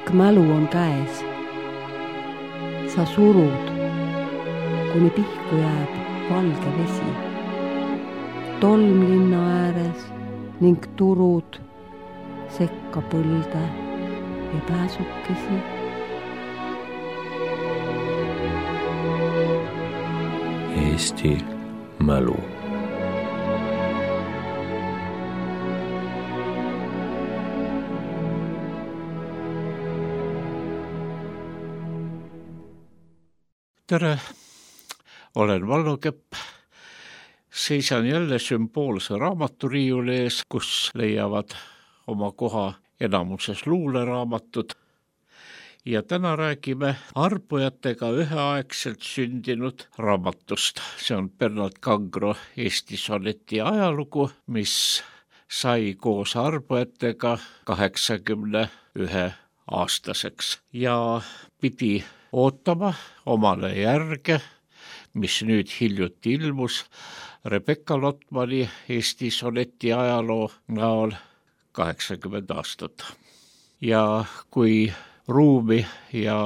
pikk mälu on käes. Sa surud, kuni pihku jääb valge vesi. Tolm linna ääres ning turud sekka põlde ja pääsukesi. Eesti mälu. Tere, olen Vallo Kepp. Seisan jälle sümboolse raamaturiiuli ees, kus leiavad oma koha enamuses luuleraamatud. Ja täna räägime arpujatega üheaegselt sündinud raamatust. See on Bernard Kangro Eesti soneti ajalugu, mis sai koos arpujatega 81-aastaseks ja pidi ootama omale järge, mis nüüd hiljuti ilmus Rebecca Lotmani Eesti soneti ajaloo näol 80 aastat. Ja kui ruumi ja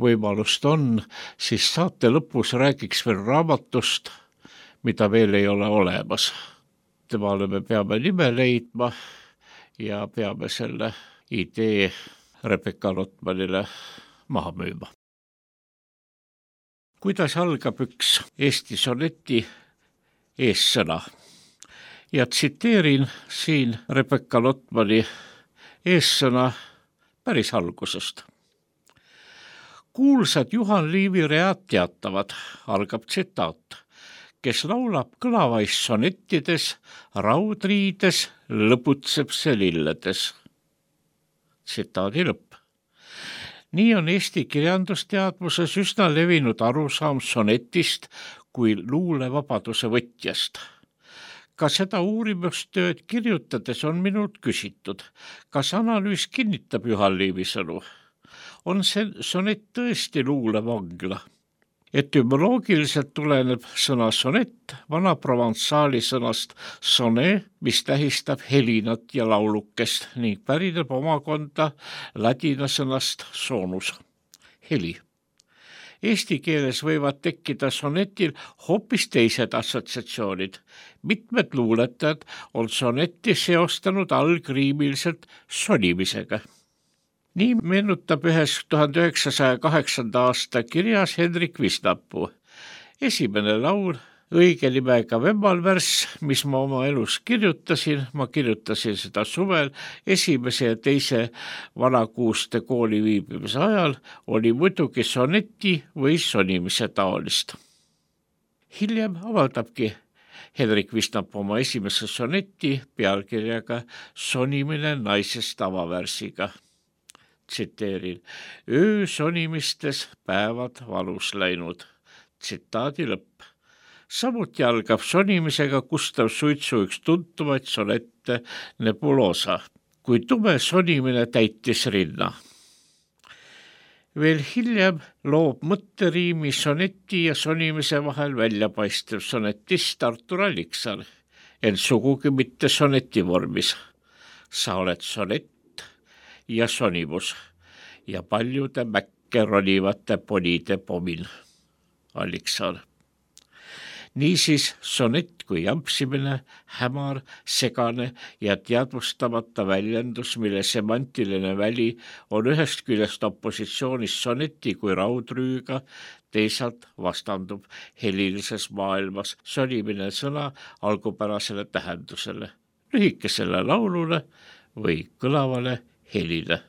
võimalust on, siis saate lõpus räägiks veel raamatust, mida veel ei ole olemas. Temale me peame nime leidma ja peame selle idee Rebecca Lotmanile maha müüma. Kuidas algab üks Eesti soneti eessõna? Ja tsiteerin siin Rebecca Lotmani eessõna päris algusest. Kuulsad Juhan Liivi read teatavad, algab tsitaat, kes laulab kõlavais sonettides, raudriides, lõputseb see lilledes. Tsitaadi lõpp. Nii on Eesti kirjandusteadvuses üsna levinud arusaam sonetist kui luulevabaduse võtjast. Ka seda uurimustööd kirjutades on minult küsitud, kas analüüs kinnitab Juhan Liivi sõnu. On see sonett tõesti luulevangla? Etümoloogiliselt tuleneb sõna sonett vana provensaali sõnast sonne, mis tähistab helinat ja laulukest ning pärineb omakonda ladina sõnast sonus, heli. Eesti keeles võivad tekkida sonetil hoopis teised assotsiatsioonid. Mitmed luuletajad on sonetti seostanud algriimiliselt sonimisega. Nii meenutab ühes 1908. aasta kirjas Hendrik Visnapuu. Esimene laul, õige nimega Vemmalvärss, mis ma oma elus kirjutasin, ma kirjutasin seda suvel esimese ja teise Vanakuuste kooli viibimise ajal, oli muidugi soneti või sonimise taolist. Hiljem avaldabki Hendrik Visnapuu oma esimese soneti pealkirjaga Sonimine naisest avavärsiga. Tsiteerin, öö sonimistes päevad valus läinud. Tsitaadi lõpp. Samuti algab sonimisega Gustav Suitsu üks tuntumaid sonette Nebulosa, kui tume sonimine täitis rinna. Veel hiljem loob mõtteriimi soneti ja sonimise vahel väljapaistev sonetist Artur Alliksaar, ent sugugi mitte soneti vormis. Sa oled sonett ja sonimus ja paljude mäkke ronivate ponide pomin. Alliksaar. Niisiis sonett kui jampsimine, hämar, segane ja teadvustamata väljendus, mille semantiline väli on ühest küljest opositsioonis soneti kui raudrüüga, teisalt vastandub helilises maailmas sonimine sõna algupärasele tähendusele, lühikesele laulule või kõlavale helile.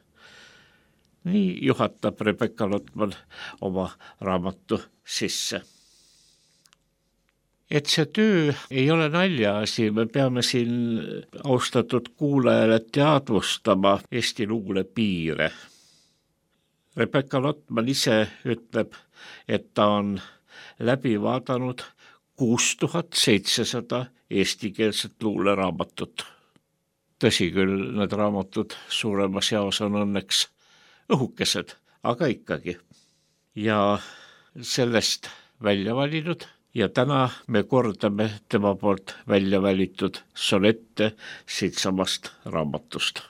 Nii juhatab Rebecca Lotman oma raamatu sisse. Et see töö ei ole naljaasi, me peame siin austatud kuulajale teadvustama Eesti luule piire. Rebecca Lotman ise ütleb, et ta on läbi vaadanud 6700 eestikeelset luuleraamatut. Tõsi küll, need raamatud suuremas jaos on õnneks õhukesed, aga ikkagi. Ja sellest välja valinud ja täna me kordame tema poolt välja valitud sonette siitsamast raamatust.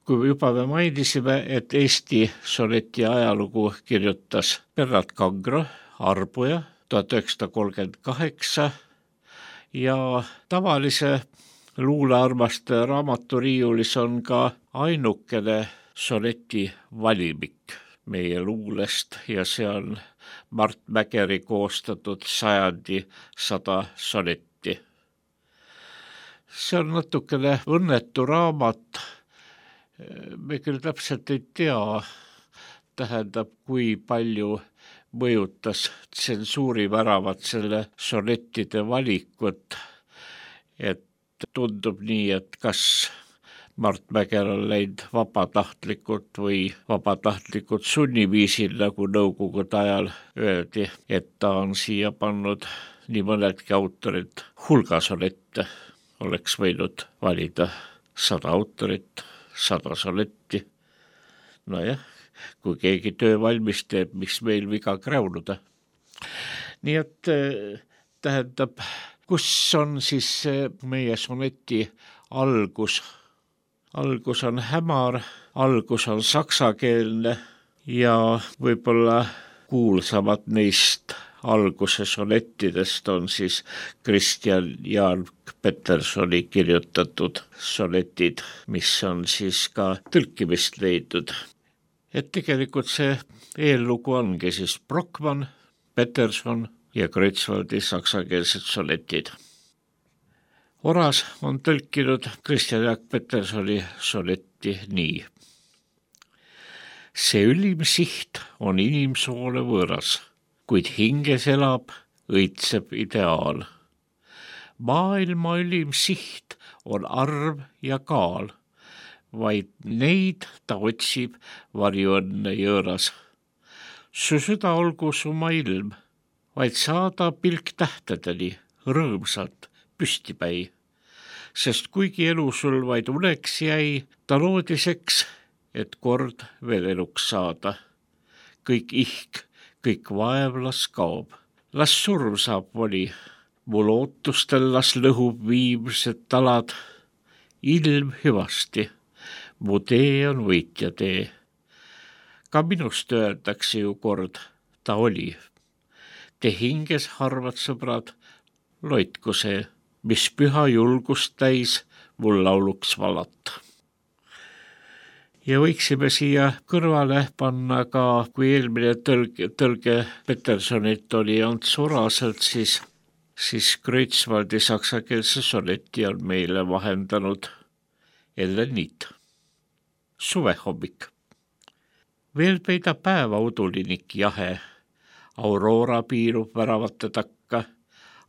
kui juba me mainisime, et Eesti soneti ajalugu kirjutas Bernard Kangro, arbuja, 1938 ja tavalise luulearmastaja raamaturiiulis on ka ainukene soneti valimik meie luulest ja see on Mart Mägeri koostatud sajandi 100 sonetti. See on natukene õnnetu raamat, me küll täpselt ei tea, tähendab, kui palju mõjutas tsensuuri väravat selle sonettide valikut, et tundub nii, et kas Mart Mäger on läinud vabatahtlikult või vabatahtlikult sunniviisil, nagu nõukogude ajal öeldi, et ta on siia pannud nii mõnedki autorid hulga sonette, oleks võinud valida 100 autorit, 100 sonetti. Nojah, kui keegi töö valmis teeb, miks meil viga kräunuda. Nii et tähendab, kus on siis meie soneti algus? Algus on hämar, algus on saksakeelne ja võib-olla kuulsamad neist alguse sonettidest on siis Christian Jaak Petersoni kirjutatud sonetid, mis on siis ka tõlkimist leidnud. Et tegelikult see eellugu ongi siis Brockmann, Peterson ja Kreutzwaldi saksakeelsed sonetid. Oras on tõlkinud Christian Jaak Petersoni sonetti nii. See ülim siht on inimsoole võõras, kuid hinges elab, õitseb ideaal. Maailma ülim siht on arv ja kaal, vaid neid ta otsib varjuõnne jõõras. Su süda olgu suma ilm, vaid saada pilk tähtedeni, rõõmsalt püstipäi. Sest kuigi elu sul vaid uneks jäi, ta loodiseks, et kord veel eluks saada. Kõik ihk, kõik vaev las kaob, las surm saab voli, mu lootustel las lõhub viimsed talad. Ilm hüvasti, mu tee on võitja tee. Ka minust öeldakse ju kord, ta oli. Te hinges harvad sõbrad, loitku see, mis püha julgust täis mul lauluks valat. Ja võiksime siia kõrvale panna ka, kui eelmine tõlge Petersonit oli Ants Oraselt, siis Kreutzwaldi saksakeelse soneti on meile vahendanud Ellen Niit. Suvehommik. Veel peidab päeva udulinik jahe, Aurora piirub väravate takka,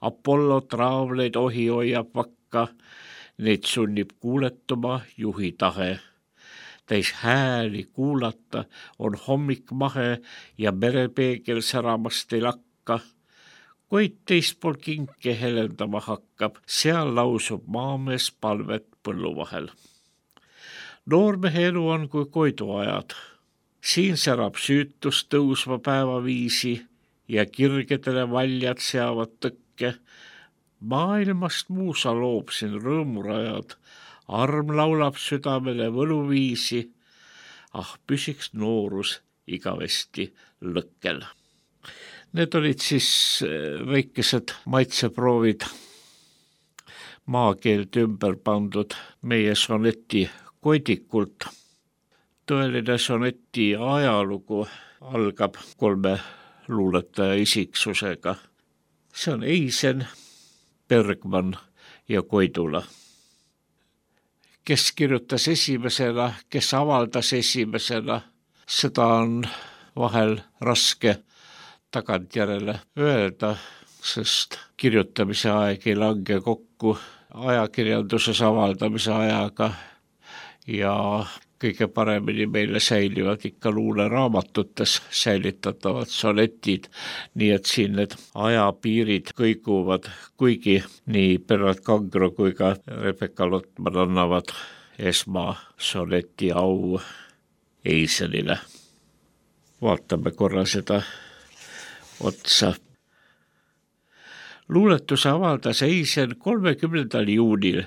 Apollo traavleid ohi hoiab vakka, neid sunnib kuuletuma juhi tahe. Täis hääli kuulata on hommik mahe ja merepeegel säramast ei lakka. Kuid teispool kinke helendama hakkab, seal lausub maamees palvet põllu vahel. Noormehe elu on kui koiduajad, siin särab süütus tõusva päevaviisi ja kirgedele valjad seavad tõkke. Maailmast muusa loob siin rõõmurajad, arm laulab südamele võluviisi, püsiks noorus igavesti lõkkel. Need olid siis väikesed maitseproovid maakeelt ümber pandud meie soneti koidikult. Tõeline soneti ajalugu algab 3 luuletaja isiksusega. See on Eisen, Bergman ja Koidula. Kes kirjutas esimesena, kes avaldas esimesena, seda on vahel raske tagantjärele öelda, sest kirjutamise aeg ei lange kokku ajakirjanduses avaldamise ajaga ja kõige paremini meile säilivad ikka luuleraamatutes säilitatavad sonetid, nii et siin need ajapiirid kõiguvad, kuigi nii Bernard Kangro kui ka Rebecca Lotman annavad esmasoneti au Eisenile. Vaatame korra seda otsa. luuletuse avaldas Eisen 30. juunil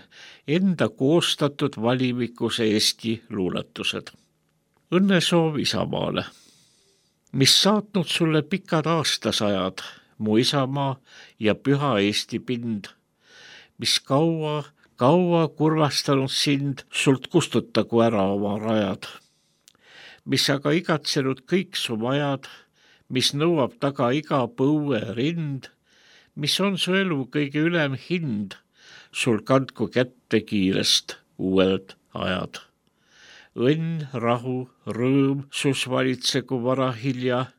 enda koostatud valimikus Eesti luuletused. Õnnesoov Isamaale. Mis saatnud sulle pikad aastasajad, mu isamaa ja püha Eesti pind, mis kaua kurvastanud sind, sult kustutagu ära oma rajad, mis aga igatsenud kõik su majad, mis nõuab taga iga põue rind, mis on su elu kõige ülem hind, sul kandku kätte kiirest uued ajad. Õnn, rahu, rõõm sus valitsegu vara hilja,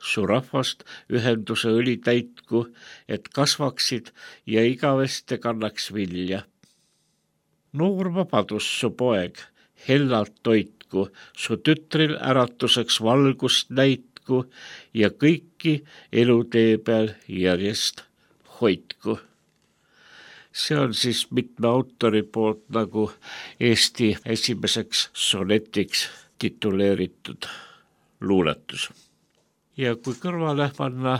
su rahvast ühenduse õli täitku, et kasvaksid ja igaveste kannaks vilja. Noor vabadus su poeg, hellalt toitku, su tütril äratuseks valgust näitku ja kõiki elutee peal järjest hoidku. See on siis mitme autori poolt nagu Eesti esimeseks sonetiks tituleeritud luuletus. Ja kui kõrvale panna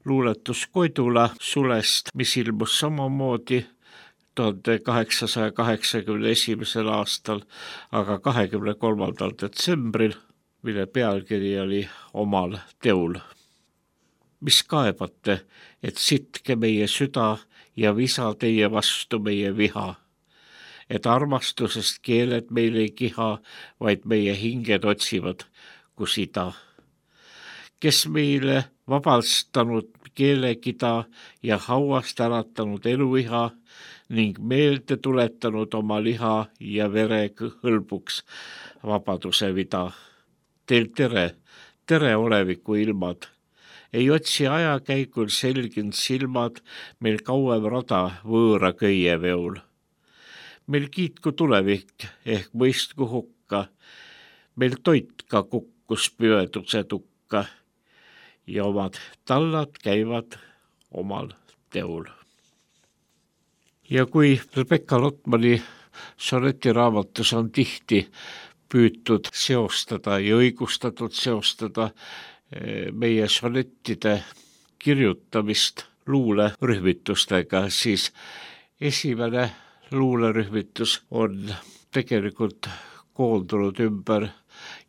luuletus Koidula sulest, mis ilmus samamoodi 1881. aastal, aga 23. detsembril, mille pealkiri oli Omal teul. Mis kaebate, et sitke meie süda ja visa teie vastu meie viha, et armastusest keeled meil ei kiha, vaid meie hinged otsivad, kus ida. Kes meile vabastanud keelekida ja hauast äratanud eluiha ning meelde tuletanud oma liha ja vere hõlbuks vabaduse vida. Teil tere oleviku ilmad. Ei otsi ajakäigul selginud silmad, meil kauem rada võõra köie veol. Meil kiitku tulevik ehk mõistku hukka, meil toit ka kukkus püveduse tukka ja omad tallad käivad omal teol. Ja kui Rebecca Lotmani sonetiraamatus on tihti püütud seostada ja õigustatud seostada meie sonettide kirjutamist luulerühmitustega, siis esimene luulerühmitus on tegelikult koondunud ümber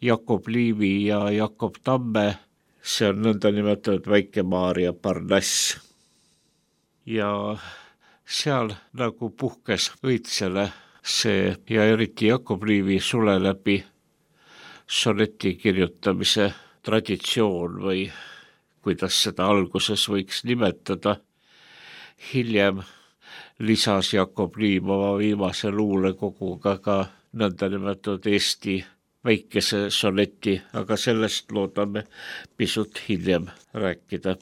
Jakob Liivi ja Jakob Tamme. See on nõndanimetatud Väike-Maarja Parnass. Ja seal nagu puhkes õitsele see ja eriti Jakob Liivi sule läbi soneti kirjutamise traditsioon või kuidas seda alguses võiks nimetada. Hiljem lisas Jakob Liiv oma viimase luulekoguga ka nõndanimetatud Eesti väikese soneti, aga sellest loodame pisut hiljem rääkida.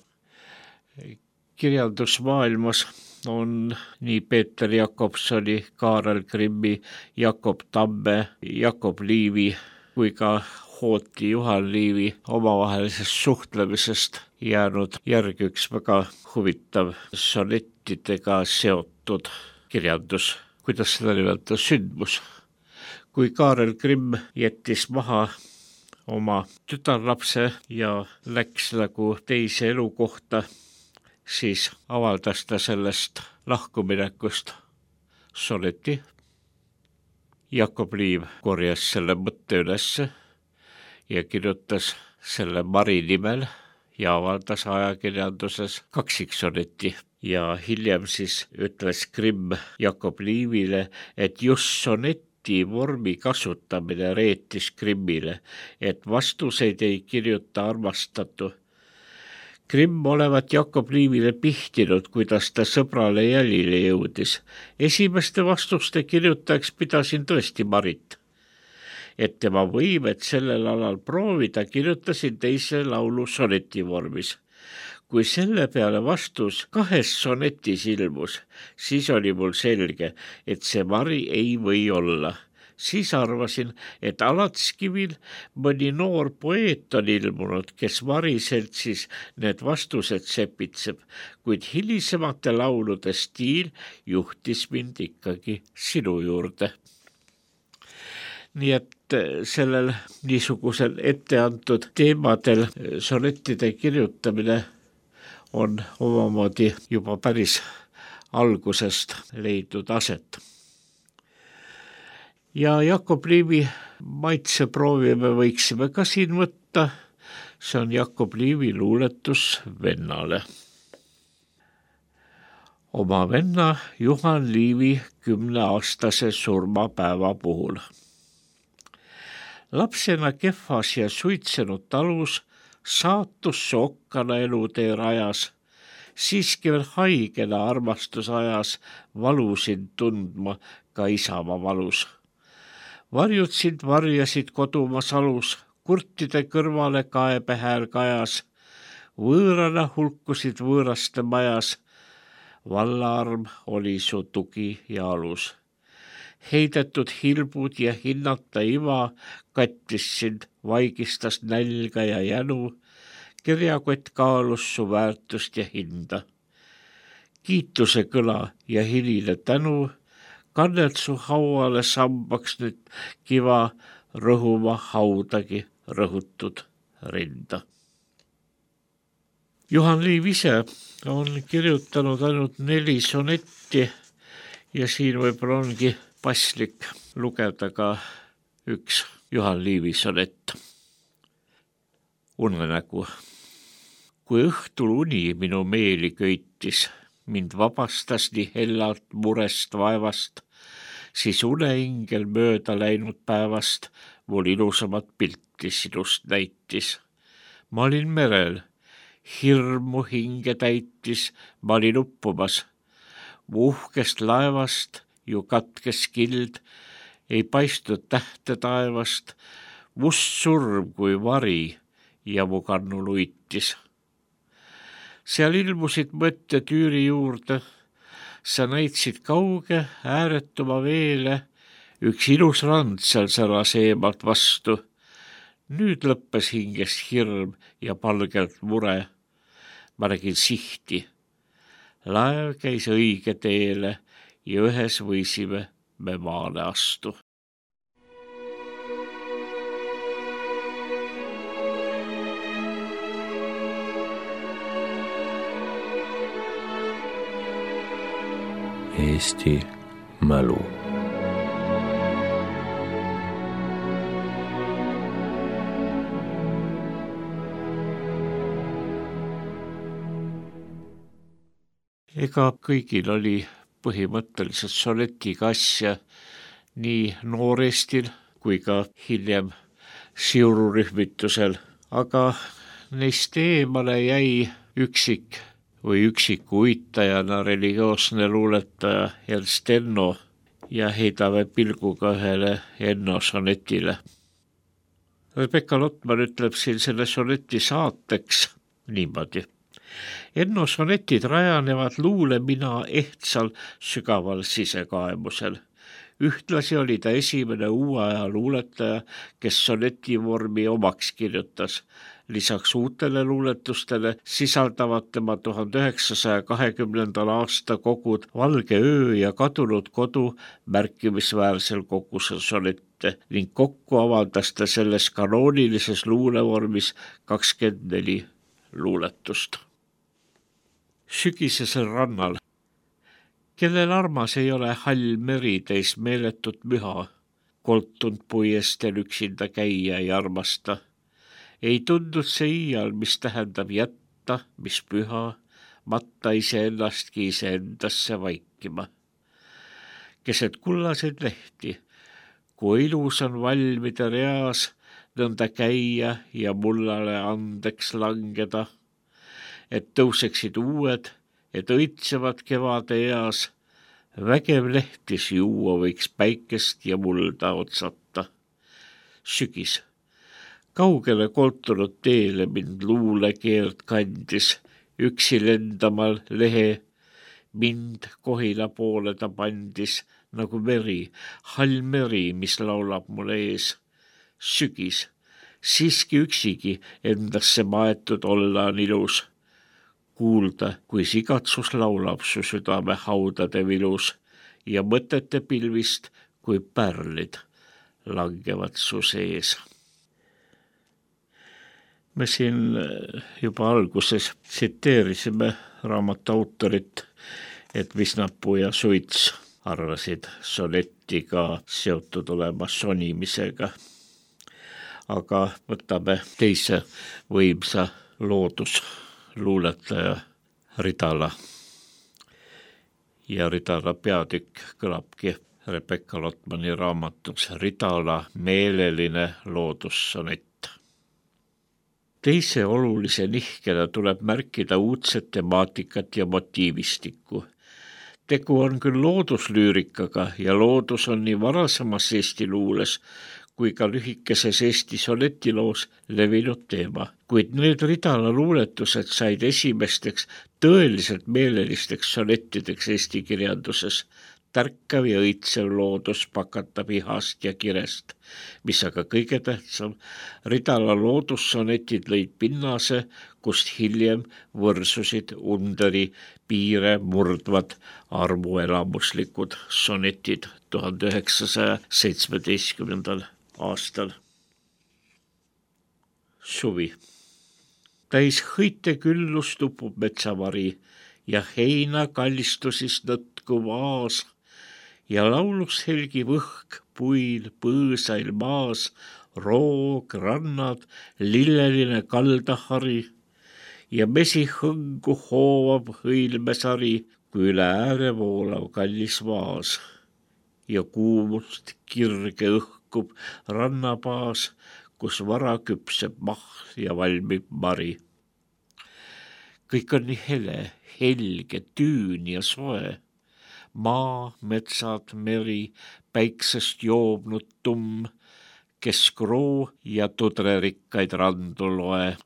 Kirjandusmaailmas on nii Peeter Jakobsoni, Kaarel Grimmi, Jakob Tamme, Jakob Liivi kui ka Hooti Juhan Liivi omavahelisest suhtlemisest jäänud järg üks väga huvitav sonettidega seotud kirjandus, kuidas seda nimetada, sündmus. Kui Kaarel Grimm jättis maha oma tütarlapse ja läks nagu teise elukohta, siis avaldas ta sellest lahkuminekust soneti. Jakob Liiv korjas selle mõtte ülesse ja kirjutas selle Mari nimel ja avaldas ajakirjanduses kaksiksoneti. Ja hiljem siis ütles Grimm Jakob Liivile, et just soneti vormi kasutamine reetis Grimmile, et vastuseid ei kirjuta armastatu. Grimm olevat Jakob Liivile pihtinud, kuidas ta sõbrale jälile jõudis. Esimeste vastuste kirjutajaks pidasin tõesti Marit. Et tema võimet sellel alal proovida, kirjutasin teise laulu soneti vormis. Kui selle peale vastus 2 sonetis ilmus, siis oli mul selge, et see Mari ei või olla. Siis arvasin, et Alatskivil mõni noor poeet on ilmunud, kes Mari seltsis need vastused sepitseb, kuid hilisemate laulude stiil juhtis mind ikkagi sinu juurde. Nii et sellel niisugusel etteantud teemadel sonettide kirjutamine on omamoodi juba päris algusest leidnud aset. Ja Jakob Liivi maitseproovi me võiksime ka siin võtta. See on Jakob Liivi luuletus vennale. Oma venna Juhan Liivi 10-aastase surmapäeva puhul. Lapsena kehvas ja suitsenud talus saatus sokkana elutee rajas, siiski veel haigena armastus ajas valusid tundma ka isamaa valus. Varjud sind varjasid kodumaa salus, kurtide kõrvale kaebehääl kajas, võõrana hulkusid võõraste majas, vallaarm oli su tugi ja alus. Heidetud hilbud ja hinnata iva kattis sind, vaigistas nälga ja jänu, kirjakott kaalus su väärtust ja hinda. Kiituse kõla ja hiline tänu kannelt su hauale sambaks nüüd kiva rõhuma haudagi rõhutud rinda. Juhan Liiv ise on kirjutanud ainult 4 sonetti ja siin võib-olla ongi paslik lugeda ka üks Juhan Liivi sonett. Unenägu. Kui õhtul uni minu meeli köitis, mind vabastas nii hellalt murest vaevast, siis uneingel mööda läinud päevast mul ilusamat pilti sinust näitis. Ma olin merel, hirmu hinge täitis, ma olin uppumas. Mu uhkest laevast ju katkes kild, ei paistnud tähte taevast, must surm kui vari ja mu kannul uitis. Seal ilmusid mõtte tüüri juurde, sa näitsid kauge ääretuma veele, üks ilus rand seal säras eemalt vastu. Nüüd lõppes hingest hirm ja palgelt mure. Ma nägin sihti. Laev käis õige teele ja ühes võisime me maale astu. Eesti mälu. Ega kõigil oli põhimõtteliselt sonetiga asja nii Noorestil kui ka hiljem siururühmitusel, aga neist eemale jäi üksiku uitajana religioosne luuletaja Ernst Enno ja heidame pilguga ühele Enno sonetile. Rebecca Lotman ütleb siin selle soneti saateks niimoodi. Enno sonetid rajanevad luulemina ehtsal sügaval sisekaemusel. Ühtlasi oli ta esimene uue aja luuletaja, kes sonetivormi omaks kirjutas. Lisaks uutele luuletustele sisaldavad tema 1920. aasta kogud Valge öö ja Kadunud kodu märkimisväärsel kogusel sonette ning kokku avaldas ta selles kanoonilises luulevormis 24 luuletust. Sügisesel rannal. Kellel armas ei ole hall meri täis meeletut müha, koltunud puiestel üksinda käia ei armasta. Ei tundnud see iial, mis tähendab jätta, mis püha, matta iseennastki iseendasse vaikima. Keset kullaseid lehti, kui ilus on valmida reas, nõnda käia ja mullale andeks langeda, et tõuseksid uued, et õitsevad kevade eas, vägev lehtis juua võiks päikest ja mulda otsata. Sügis. Kaugele koltunud teele mind luulekeelt kandis, üksi lendamal lehe, mind Kohila poole ta pandis, nagu meri, hall meri, mis laulab mul ees. Sügis, siiski üksigi endasse maetud olla on ilus. Kuulda, kui sigatsus laulab su südame haudade vilus ja mõtete pilvist, kui pärlid langevad su sees. Me siin juba alguses tsiteerisime raamatu autorit, et Visnapuu ja Suits arvasid sonetiga seotud olema sonimisega. Aga võtame teise võimsa loodusluuletaja Ridala. Ja Ridala peatükk kõlabki Rebecca Lotmani raamatus Ridala meeleline loodussonett. Teise olulise nihkena tuleb märkida uudset temaatikat ja motiivistikku. Tegu on küll looduslüürikaga ja loodus on nii varasemas Eesti luules kui ka lühikeses Eesti sonetiloos levinud teema, kuid need Ridala luuletused said esimesteks tõeliselt meelelisteks sonettideks Eesti kirjanduses. Tärkav ja õitsev loodus pakatab ihast ja kirest, mis aga kõige tähtsam, Ridala loodussonetid lõid pinnase, kust hiljem võrsusid Underi piire murdvad armuelamuslikud sonetid 1917. aastal. Suvi. Täis hõite küllus tupub metsavari ja heina kallistusis nõtku vaas ja laulus helgi võhk puil põõsail maas, roog, rannad, lilleline kaldahari ja mesi hõngu hoovab hõilmesari, kui üle ääre voolav kallis vaas ja kuumust kirge õhkub rannapaas, kus vara küpseb mahl ja valmib mari. Kõik on nii hele, helge, tüün ja soe. Maa, metsad, meri, päiksest joobnud tumm, keskroo ja tudrerikkaid randu loe,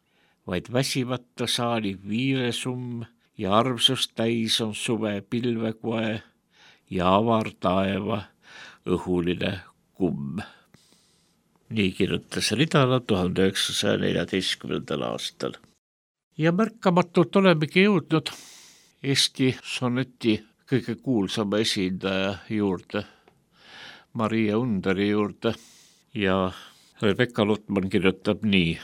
vaid väsivata saali viiresumm ja armsust täis on suve pilvekoe ja avar taeva õhuline kumm. Nii kirjutas Ridala 1914. aastal. Ja märkamatult olemegi jõudnud Eesti soneti kõige kuulsama esindaja juurde, Maria Underi juurde, ja Rebecca Lotman kirjutab nii.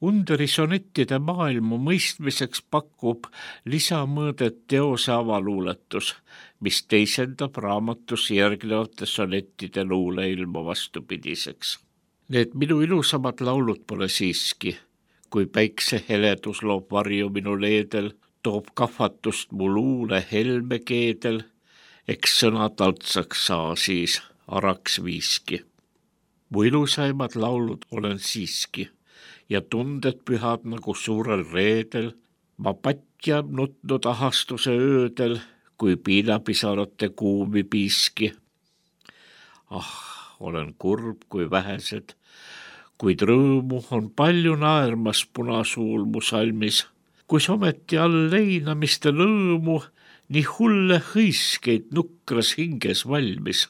Underi sonettide maailma mõistmiseks pakub lisamõõdet teose avaluuletus, mis teisendab raamatus järgnevate sonettide luuleilma vastupidiseks. Need minu ilusamad laulud pole siiski, kui päikse heledus loob varju minu leedel, toob kahvatust mu luule helme keedel, eks sõna taltsaks saa siis araks viiski. Mu ilusaimad laulud olen siiski ja tunded pühad nagu suurel reedel, ma patja nutnud ahastuse öödel, kui piinapisarate kuumi piiski. Olen kurb kui vähesed, kuid rõõmu on palju naermas punasuul mu salmis, kus ometi all leinamiste lõõmu nii hulle hõiskeid nukras hinges valmis.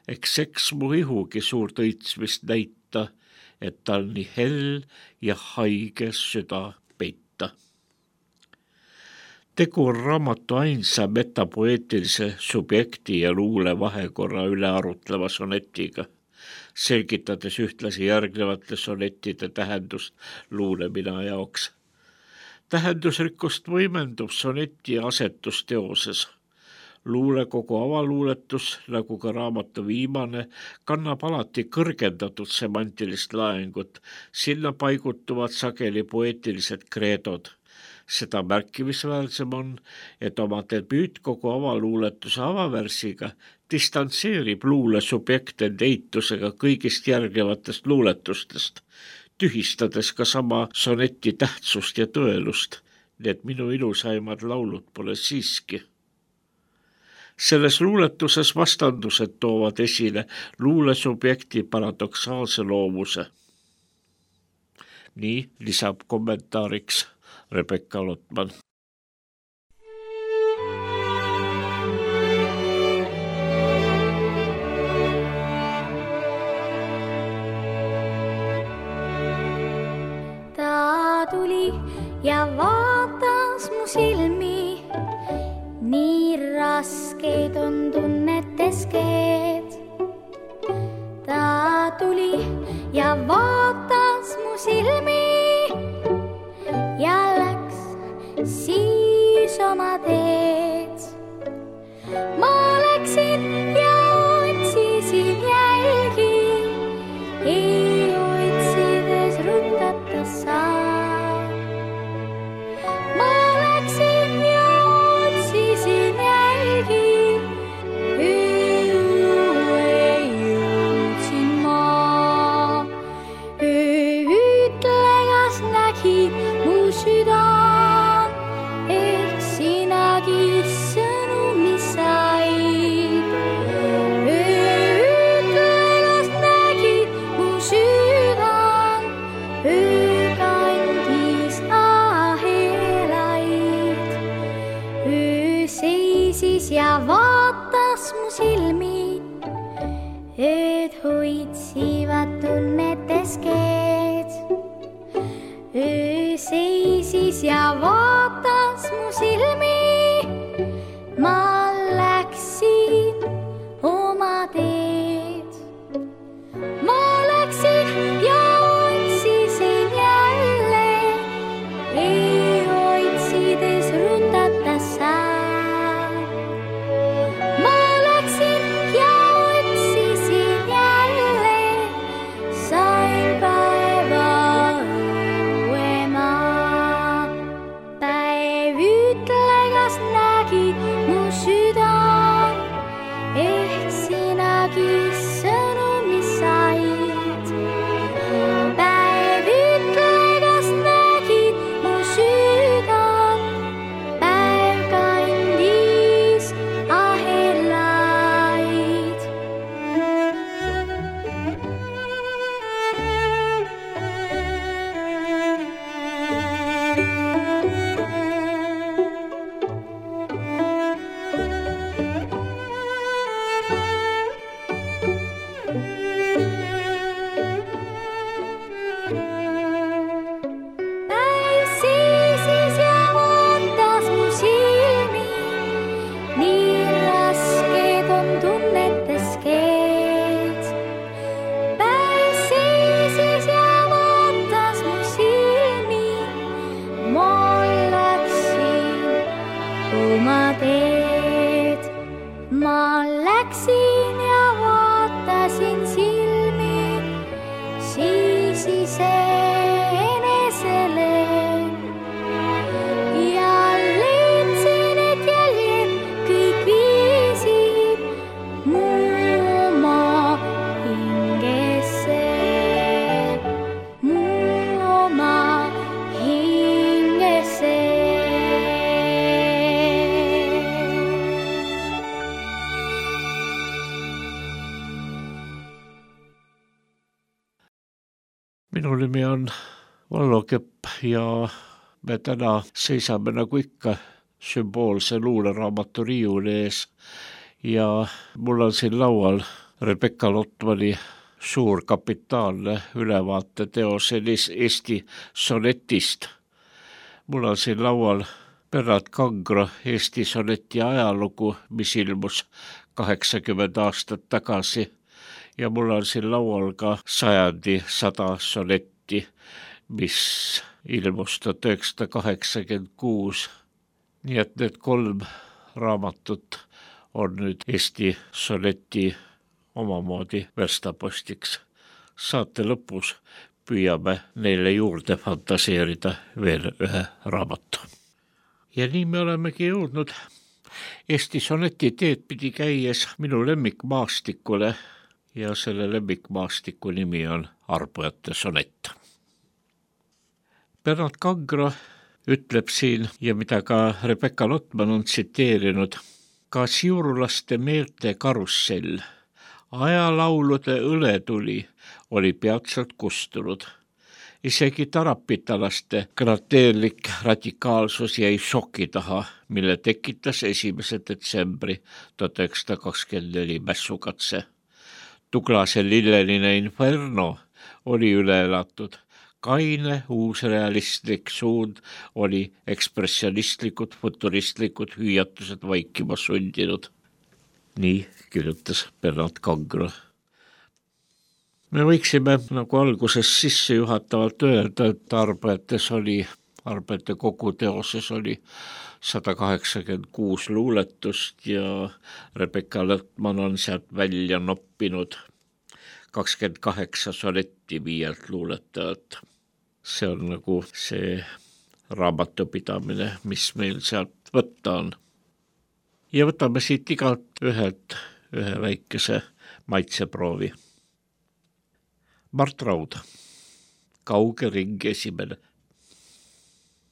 Eks mu ihugi suurt õitsmist näita, et tal nii hell ja haige süda peita. Tegu on raamatu ainsa metapoeetilise subjekti ja luule vahekorra üle arutleva sonetiga, selgitades ühtlasi järgnevate sonettide tähendust luulemina jaoks. Tähendusrikkust võimendub soneti asetusteoses. Luulekogu avaluuletus, nagu ka raamatu viimane, kannab alati kõrgendatud semantilist laengut. Sinna paigutuvad sageli poeetilised kreedod. Seda märkimisväärsem on, et oma debüütkogu avaluuletuse avavärsiga distantseerib luule subjekt end eitusega kõigist järgnevatest luuletustest, tühistades ka sama soneti tähtsust ja tõelust. Need minu ilusaimad laulud pole siiski. Selles luuletuses vastandused toovad esile luulesubjekti paradoksaalse loomuse. Nii lisab kommentaariks Rebecca Lotman. Ta tuli ja vaatas mu silmi, nii raskeid on tunnetes keed. Ta tuli ja vaatas mu silmi, keskeed. Öö seisis ja vaatas mu silmi, ma läksin oma teed. Ma läksin ja otsisin jälle, ei otsides rutata saan. Ma läksin ja otsisin jälle, sain päeva õuema. Päev ütle, kas nägid mu südan, ehk sinagi sõnumi said. Päev ütle, kas nägid mu südan, päev kandis ahelaid. Päev seisis ja vaatas mu silmi, nii rasked on tunnetes keed. Päev seisis ja vaatas mu silmi, ma läksin oma teed. Ma läksin ja vaatasin silmi, siis iseenesele ja leidsin, et jäljed kõik viisid mu oma hingesse, mu oma hingesse. Minu nimi on Vallo Kepp ja me täna seisame nagu ikka sümboolse luuleraamatu riiuli ees ja mul on siin laual Rebecca Lotmani suur kapitaalne ülevaateteos Eesti sonetist. Mul on siin laual Bernard Kangro Eesti soneti ajalugu, mis ilmus 80 aastat tagasi. Ja mul on siin laual ka sajandi 100 sonetti, mis ilmus 1986. Nii et need 3 raamatut on nüüd Eesti soneti omamoodi verstapostiks. Saate lõpus püüame neile juurde fantaseerida veel ühe raamatu. Ja nii me olemegi jõudnud Eesti soneti teed pidi käies minu lemmikmaastikule ja selle lemmikmaastiku nimi on Arbujate sonett. Bernard Kangro ütleb siin ja mida ka Rebecca Lotman on tsiteerinud, ka siurulaste meelte karussell, ajalaulude õletuli oli peatselt kustunud. Isegi tarapitalaste krateerlik radikaalsus jäi šoki taha, mille tekitas 1. detsembri 1924 mässukatse. Tuglase lilleline inferno oli üle elatud. Kaine uusrealistlik suund oli ekspressionistlikud, futuristlikud hüüatused vaikima sundinud. Nii kirjutas Bernard Kangro. Me võiksime nagu alguses sissejuhatavalt öelda, et Arbujate kogu teoses oli 186 luuletust ja Rebecca Lotman on sealt välja noppinud 28 sonetti 5 luuletajat. See on nagu see raamatupidamine, mis meil sealt võtta on. Ja võtame siit igalt ühelt ühe väikese maitseproovi. Mart Raud, Kauge ring 1.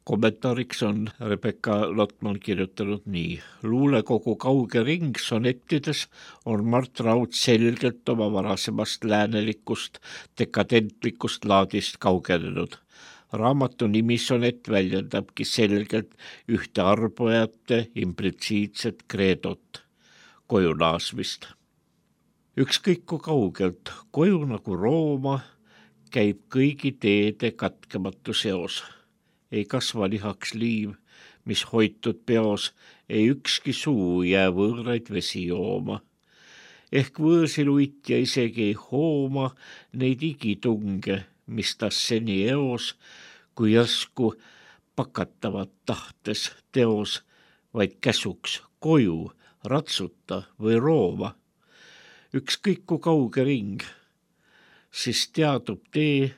Kommentaariks on Rebecca Lotman kirjutanud nii. Luulekogu Kauge ring sonettides on Mart Raud selgelt oma varasemast läänelikust, dekadentlikust laadist kaugenenud. Raamatu nimisonett väljendabki selgelt ühte Arbujate implitsiitset kreedot, koju naasmist. Ükskõik kui kaugelt, koju nagu Rooma, käib kõigi teede katkematu seos. Ei kasva lihaks liiv, mis hoitud peos, ei ükski suu jää võõraid vesi jooma. Ehk võõrsil uitja isegi ei hooma neid igitunge, mis tas seni eos, kui järsku pakatavat tahtes teos, vaid käsuks koju ratsuta või rooma. Ükskõik kui kauge ring, siis teadub tee,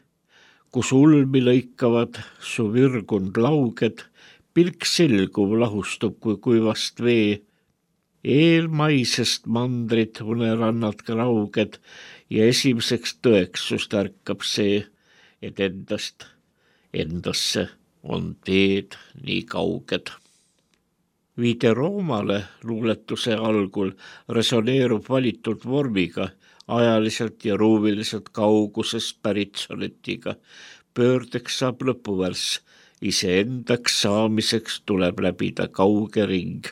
kus ulmi lõikavad su virgund lauged, pilk selguv lahustub kui kuivast vee. Eelmaisest mandrit unerannad grauged ja esimeseks tõeks sust ärkab see, et endasse on teed nii kauged. Viide Roomale luuletuse algul resoneerub valitud vormiga, ajaliselt ja ruumiliselt kaugusest pärit sonetiga. Pöördeks saab lõpuvärss, iseendaks saamiseks tuleb läbida kauge ring,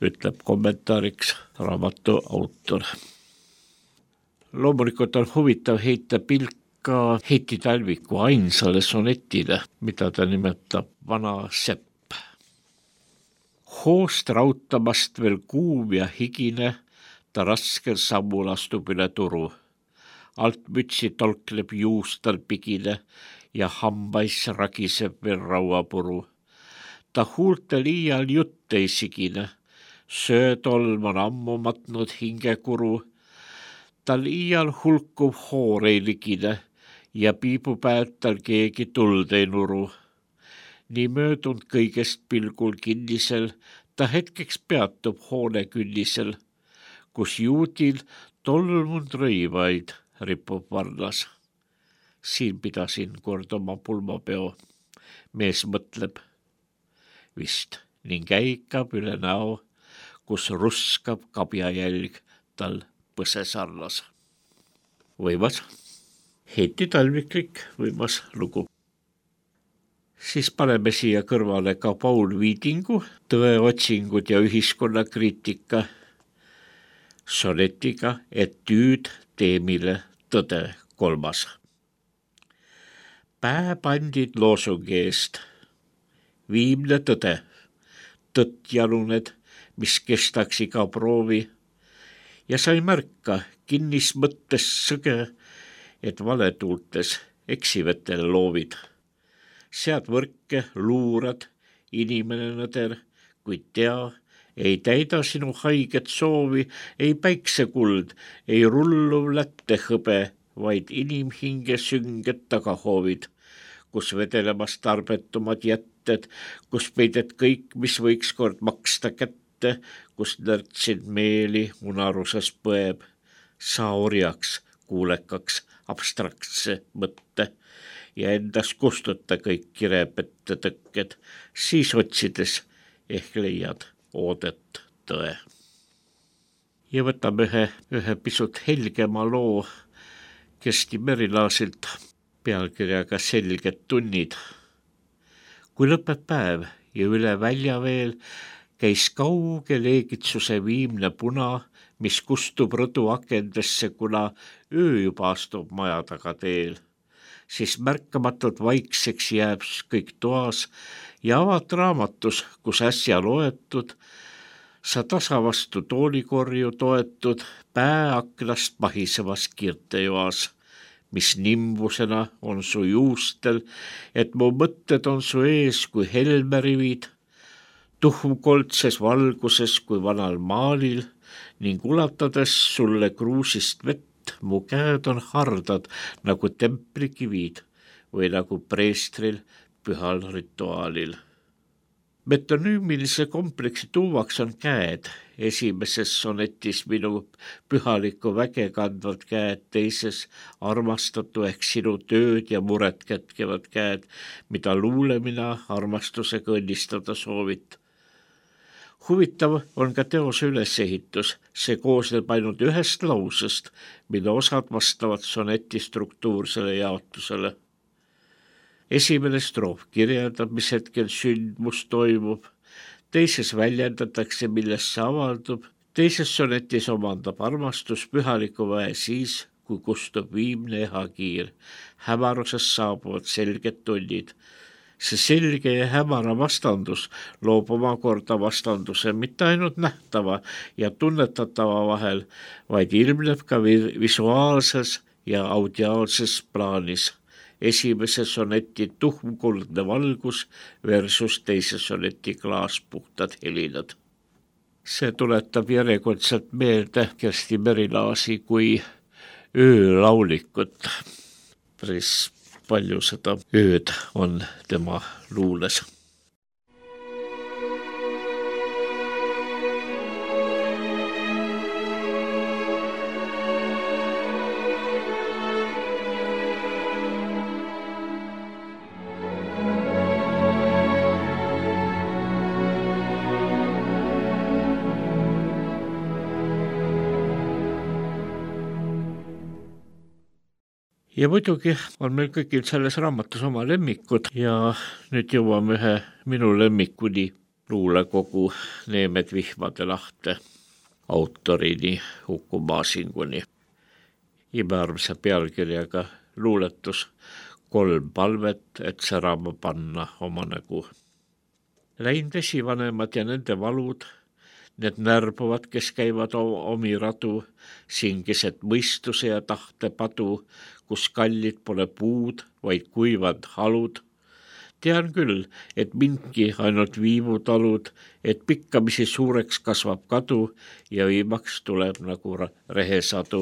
ütleb kommentaariks raamatu autor. Loomulikult on huvitav heita pilka Heiti Talviku ainsale sonetile, mida ta nimetab Vana sepp. Hoost rautamast veel kuum ja higine, ta raskel sammul astub üle turu. Alt mütsi tolkleb juustal pigine ja hambais ragiseb veel rauapuru. Ta huulte liial jutt ei sigine, söötolm on ammu matnud hingekuru. Tal iial hulkuv hoor ei ligine ja piibupäev tal keegi tuld ei nuru. Nii möödunud kõigest pilgul kinnisel, ta hetkeks peatub hoone künnisel, kus juudil tolmunud rõivaid ripub varnas. Siin pidasin kord oma pulmapeo, mees mõtleb vist ning äikab üle näo, kus ruskab kabjajälg tal põse sarnas. Võimas, Heiti Talviklik võimas lugu. Siis paneme siia kõrvale ka Paul Viidingu Tõeotsingud ja ühiskonnakriitika sonetiga Etüüd teemile tõde 3. Pääbandid loosungi eest, viimne tõde, tõtt jaluned, mis kestaks iga proovi, ja sa ei märka kinnis mõttes sõge, et valetuultes eksivetel loovid. Sead võrke, luurad, inimene nõder, kuid tea, ei täida sinu haiget soovi, ei päiksekuld, ei rulluv lätte hõbe, vaid inimhinge sünged tagahoovid, kus vedelemas tarbetumad jätted, kus peided kõik, mis võiks kord maksta kätte, kus närtsid meeli unaruses põeb. Sa orjaks, kuulekaks, abstraktse mõtte ja endas kustuta kõik kirepette tõkked, siis otsides ehk leiad oodet tõe. Ja võtame ühe pisut helgema loo Kersti Merilaasilt pealkirjaga Selged tunnid. Kui lõpeb päev ja üle välja veel käis kauge leegitsuse viimne puna, mis kustub rõdu akendesse, kuna öö juba astub maja taga teel. Siis märkamatult vaikseks jääb kõik toas ja avad raamatus, kus äsja loetud, sa tasa vastu toolikorju toetud, pää aknast pahisevas kirtejoas, mis nimbusena on su juustel, et mu mõtted on su ees kui helmerivid, tuhmkoldses valguses kui vanal maalil ning ulatades sulle kruusist vett, mu käed on hardad nagu templikivid või nagu preestril pühal rituaalil. Metonüümilise kompleksi tuumaks on käed, esimeses sonetis minu pühalikku väge kandvad käed, teises armastatu ehk sinu tööd ja muret kätkevad käed, mida luulemina armastusega õnnistada soovit. Huvitav on ka teose ülesehitus, see koosneb ainult ühest lausest, mille osad vastavad soneti struktuursele jaotusele. Esimene stroof kirjeldab, mis hetkel sündmus toimub, teises väljendatakse, millest see avaldub, teises sonetis omandab armastus pühaliku väe siis, kui kustub viimne ehakiir, hämarusest saabuvad selged tunnid. See selge ja hämara vastandus loob omakorda vastanduse mitte ainult nähtava ja tunnetatava vahel, vaid ilmneb ka visuaalses ja audiaalses plaanis. Esimese soneti tuhmkuldne valgus versus teise soneti klaaspuhtad helinad. See tuletab järjekordselt meelde Kersti Merilaasi kui öölaulikut. Päris palju seda ööd on tema luules. Ja muidugi on meil kõigil selles raamatus oma lemmikud ja nüüd jõuame ühe minu lemmikuni luulekogu Neemed vihmade lahte autorini Uku Masinguni. Imearmsa pealkirjaga luuletus 3 palvet, et särama panna oma nägu. Läinud esivanemad ja nende valud, need närbuvad, kes käivad omi radu, singised mõistuse ja tahte padu, kus kallid pole puud, vaid kuivad halud. Tean küll, et mindki ainult viimutalud, et pikkamisi suureks kasvab kadu ja viimaks tuleb nagu rehesadu,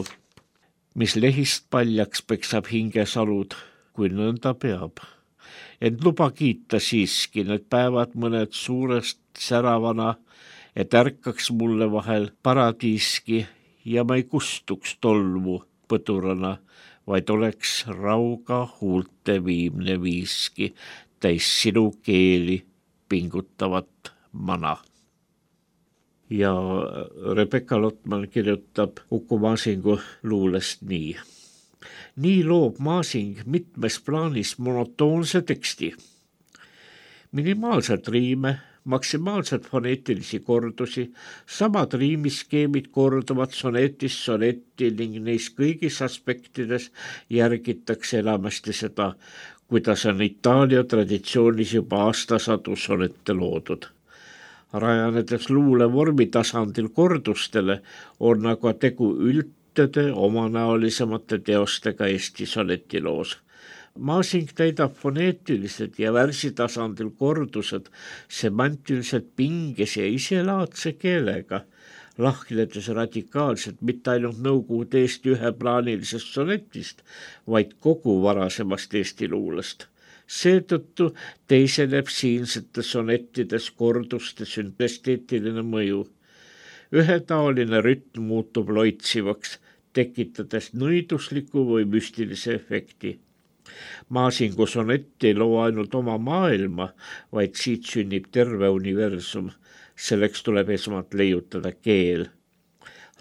mis lehist paljaks peksab hingesalud, kui nõnda peab. Ent luba kiita siiski need päevad mõned suurest säravana, et ärkaks mulle vahel paradiiski ja ma ei kustuks tolmu põdurana, vaid oleks rauga huulte viimne viiski, täis sinu keeli pingutavat mana. Ja Rebecca Lotman kirjutab Uku Masingu luulest nii. Nii loob Masing mitmes plaanis monotoonse teksti. Minimaalselt riime, maksimaalselt foneetilisi kordusi, samad riimiskeemid korduvad sonetist sonetti ning neis kõigis aspektides järgitakse enamasti seda, kuidas on Itaalia traditsioonis juba aastasadu sonette loodud. Rajanedes luule vormi tasandil kordustele on aga tegu üldtöde omanäolisemate teostega Eesti sonetiloos. Masing täidab foneetilised ja värsitasandil kordused semantiliselt pinges ja iselaadse keelega, lahknedes radikaalselt mitte ainult Nõukogude Eesti üheplaanilisest sonetist, vaid kogu varasemast Eesti luulest. Seetõttu teiseneb siinsetes sonettides korduste süntesteetiline mõju. Ühetaoline rütm muutub loitsivaks, tekitades nõidusliku või müstilise efekti. Masingu sonett ei loo ainult oma maailma, vaid siit sünnib terve universum. Selleks tuleb esmalt leiutada keel.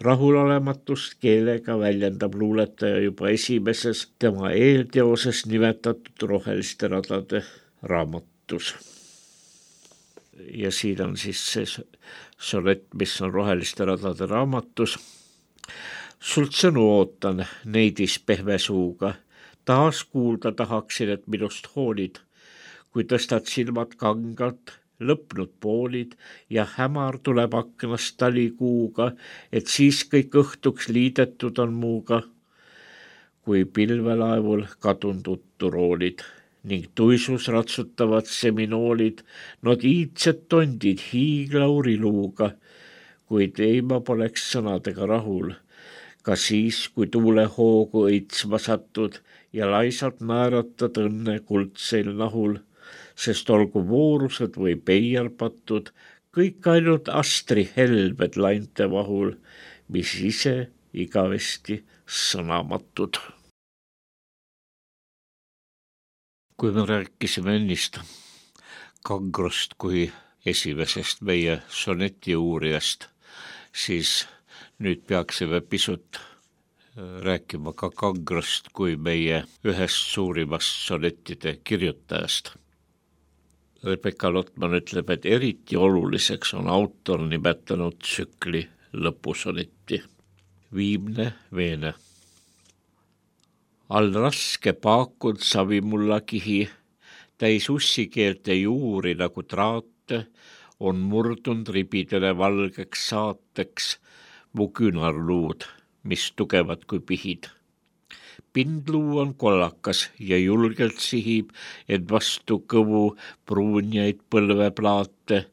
Rahulolematust keelega väljendab luuletaja juba esimeses tema eelteoses nimetatud Roheliste radade raamatus. Ja siin on siis see sonett, mis on Roheliste radade raamatus. Sult sõnu ootan neidis pehme suuga. Taas kuulda tahaksin, et minust hoolid, kui tõstad silmad kangalt, lõpnud poolid ja hämar tuleb aknast talikuuga, et siis kõik õhtuks liidetud on muuga, kui pilvelaevul kadunud utturoolid ning tuisus ratsutavad seminoolid, nad iidsed tondid hiiglauriluuga, kuid ei ma poleks sõnadega rahul, ka siis, kui tuule hoogu õitsma satud ja laisalt naeratad õnne kuldseil nahul, sest olgu voorused või peiarpatud, kõik ainult astri helbed lainte vahul, mis ise igavesti sõnamatud. Kui me rääkisime ennist Kangrost kui esimesest meie soneti uurijast, siis nüüd peaksime pisut rääkima ka Kangrost kui meie ühest suurimast sonettide kirjutajast. Rebecca Lotman ütleb, et eriti oluliseks on autor nimetanud tsükli lõpusonetti. Viimne veene. all raske paakund savimulla kihi, täis ussikeelte juuri nagu traate, on murdund ribidele valgeks saateks mu küünarluud, mis tugevad kui pihid. Pindluu on kollakas ja julgelt sihib, et vastu kõvu pruunjaid põlveplaate,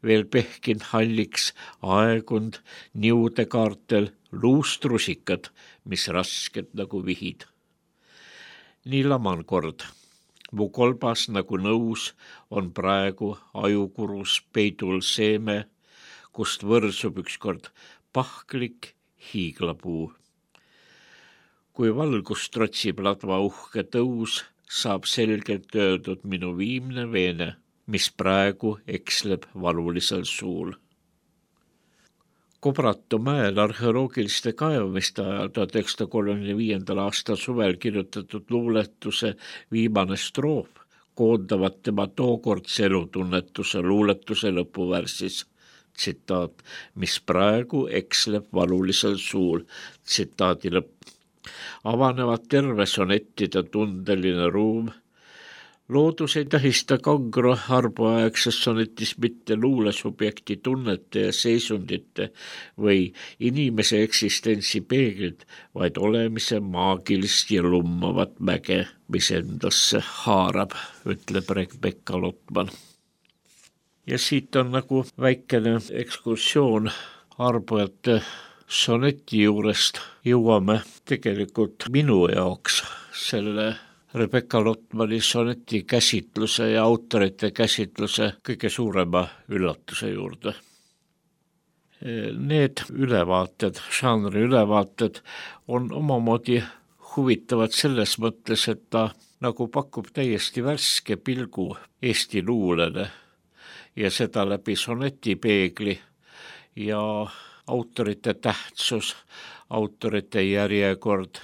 veel pehkind halliks aegund niude kaartel luustrusikad, mis rasked nagu vihid. Nii laman kord. Mu kolbas nagu nõus on praegu ajukurus peidul seeme, kust võrsub ükskord pahklik hiiglapuu. Kui valgust trotsib ladva uhke tõus, saab selgelt öeldud minu viimne veene, mis praegu eksleb valulisel suul. Kobratu mäel arheoloogiliste kaevamiste ajal 1935. aastal suvel kirjutatud luuletuse viimane stroof koondavad tema tookordse elutunnetuse luuletuse lõpuvärsis. Tsitaat, mis praegu eksleb valulisel suul. Tsitaadi lõpp. Avanevad terve sonettide tundeline ruum. Loodus ei tähista kangro arbuaegses sonetis mitte luulesubjekti tunnete ja seisundite või inimese eksistentsi peeglit, vaid olemise maagilist ja lummavat mäge, mis endasse haarab, ütleb Rebecca Lotman. Ja siit on nagu väikene ekskursioon arbujate soneti juurest jõuame tegelikult minu jaoks selle Rebecca Lotmani soneti käsitluse ja autorite käsitluse kõige suurema üllatuse juurde. Need ülevaated, žanri ülevaated on omamoodi huvitavad selles mõttes, et ta nagu pakub täiesti värske pilgu Eesti luulele ja seda läbi sonetipeegli ja autorite tähtsus, autorite järjekord,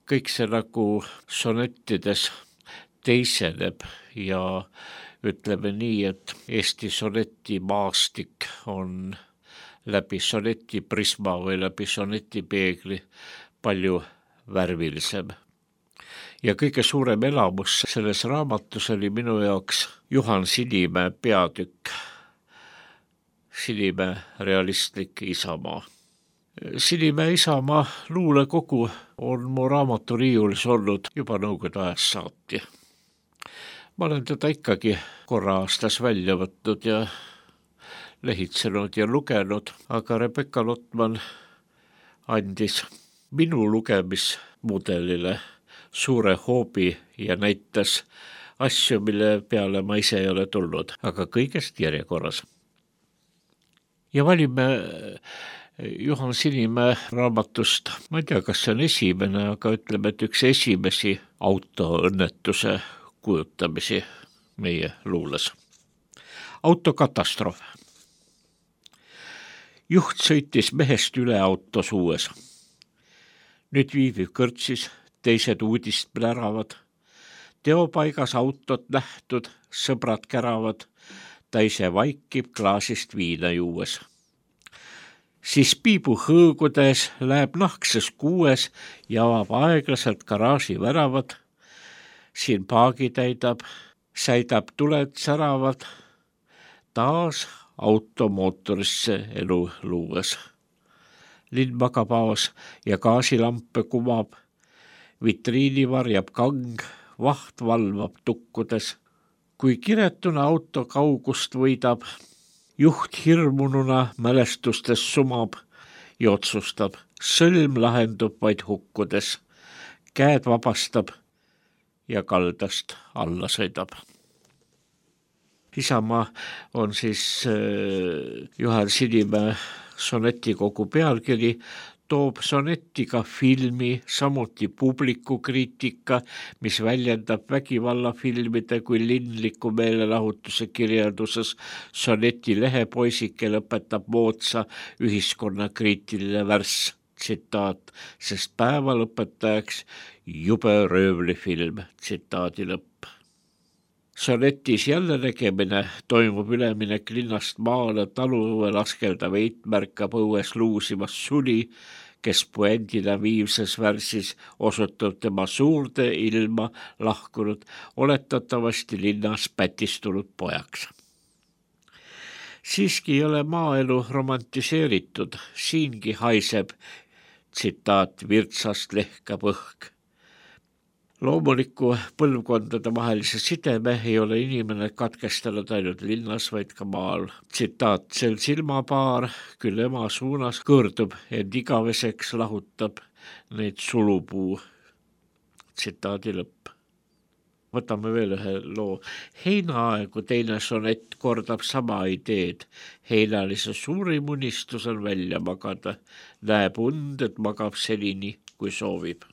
kõik see nagu sonettides teiseneb ja ütleme nii, et Eesti sonetimaastik on läbi sonetiprisma või läbi sonetipeegli palju värvilisem. Ja kõige suurem elamus selles raamatus oli minu jaoks Juhan Sinimäe peatükk. Sinimäe realistlik isamaa. Sinimäe isamaa luulekogu on mu raamaturiiulis olnud juba nõukogude ajast saati. Ma olen teda ikkagi korra aastas välja võtnud ja lehitsenud ja lugenud, aga Rebecca Lotman andis minu lugemismudelile suure hoobi ja näitas asju, mille peale ma ise ei ole tulnud, aga kõigest järjekorras. Ja valime Juhan Sinimäe raamatust, ma ei tea, kas see on esimene, aga ütleme, et üks esimesi autoõnnetuse kujutamisi meie luules. Autokatastroof. Juht sõitis mehest üle auto suues. Nüüd viiviv kõrtsis, teised uudist pläravad. Teopaigas autot nähtud, sõbrad käravad, ta ise vaikib klaasist viina juues. Siis piibu hõõgudes läheb nahkses kuues ja avab aeglaselt garaaži väravad. Siin paagi täidab, säidab tuled säravad. Taas automootorisse elu luues. Linn magab aos ja gaasilampe kumab. Vitriini varjab kang, vaht valvab tukkudes. Kui kiretuna auto kaugust võidab, juht hirmununa mälestustes sumab ja otsustab, sõlm lahendub vaid hukkudes, käed vabastab ja kaldast alla sõidab. Isamaa on siis Juhan Sinimäe sonetikogu pealkiri, toob sonettiga filmi, samuti publikukriitika, mis väljendab vägivallafilmide kui linliku meelelahutuse kirjelduses. Soneti lehepoisike lõpetab moodsa ühiskonnakriitiline värss, tsitaat, sest päeva lõpetajaks jube röövlifilm, tsitaadi lõpp. Sonetis jälle nägemine toimub üleminek linnast maale, taluõue laskeldav eit märkab õues luusimas suli, kes puendina viimses värsis osutub tema suurde ilma lahkunud, oletatavasti linnas pätistunud pojaks. Siiski ei ole maaelu romantiseeritud, siingi haiseb, tsitaat, virtsast lehkab õhk. Loomuliku põlvkondade vahelise sideme ei ole inimene katkestanud ainult linnas, vaid ka maal. Tsitaat, sel silmapaar küll ema suunas kõõrdub, ent igaveseks lahutab neid sulupuu. Tsitaadi lõpp. Võtame veel ühe loo. Heinaaegu teine sonett kordab sama ideed. Heinalise suurim unistus on välja magada. Näeb und, et magab senini, kui soovib.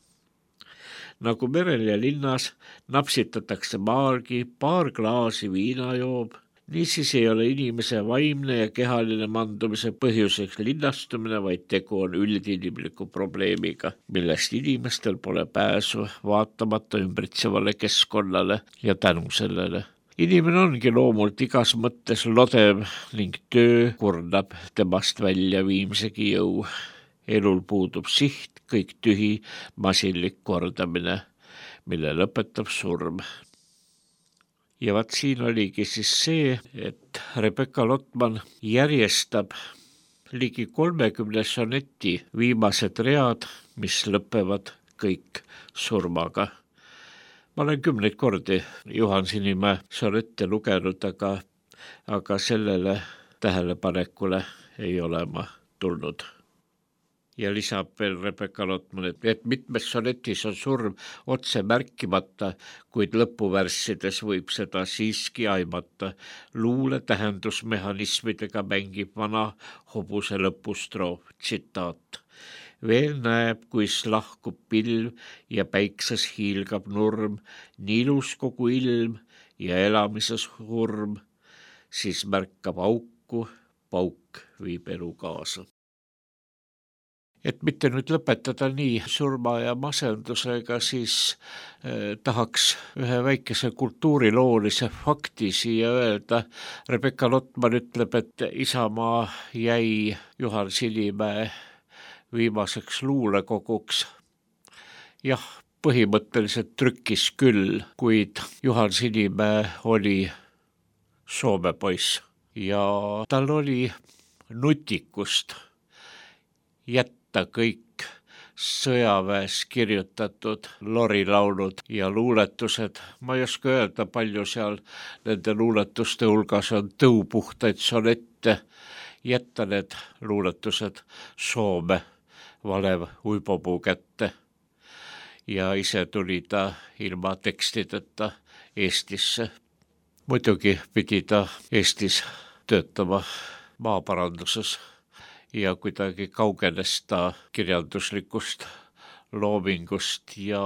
Nagu merel ja linnas napsitatakse maalgi, paar klaasi viina joob. Niisiis ei ole inimese vaimne ja kehaline mandumise põhjuseks linnastumine, vaid tegu on üldinimliku probleemiga, millest inimestel pole pääsu vaatamata ümbritsevale keskkonnale ja tänu sellele. Inimene ongi loomult igas mõttes lodev ning töö kurnab temast välja viimsegi jõu. Elul puudub siht, kõik tühi, masinlik kordamine, mille lõpetab surm. Ja vaat siin oligi siis see, et Rebecca Lotman järjestab ligi 30 soneti viimased read, mis lõpevad kõik surmaga. Ma olen 10 kordi Juhan Sinimäe sonette lugenud, aga sellele tähelepanekule ei ole ma tulnud. Ja lisab veel Rebecca Lotman, et mitmes sonetis on surm otse märkimata, kuid lõpuvärssides võib seda siiski aimata. Luule tähendusmehhanismidega mängib vana hobuse lõpustroof, tsitaat. Veel näeb, kuis lahkub pilv ja päikses hiilgab nurm, nii ilus kogu ilm ja elamises hurm, siis märkab auku, pauk viib elu kaasa. Et mitte nüüd lõpetada nii surma ja masendusega, siis tahaks ühe väikese kultuuriloolise fakti siia öelda. Rebecca Lotman ütleb, et Isamaa jäi Juhan Sinimäe viimaseks luulekoguks. Jah, põhimõtteliselt trükkis küll, kuid Juhan Sinimäe oli Soome poiss ja tal oli nutikust jätta kõik sõjaväes kirjutatud lorilaulud ja luuletused. Ma ei oska öelda, palju seal nende luuletuste hulgas on tõupuhtaid sonette, jätta need luuletused Soome Valev Uipopuu kätte. Ja ise tuli ta ilma tekstideta Eestisse. Muidugi pidi ta Eestis töötama maaparanduses. Ja kuidagi kaugenes ta kirjanduslikust loomingust ja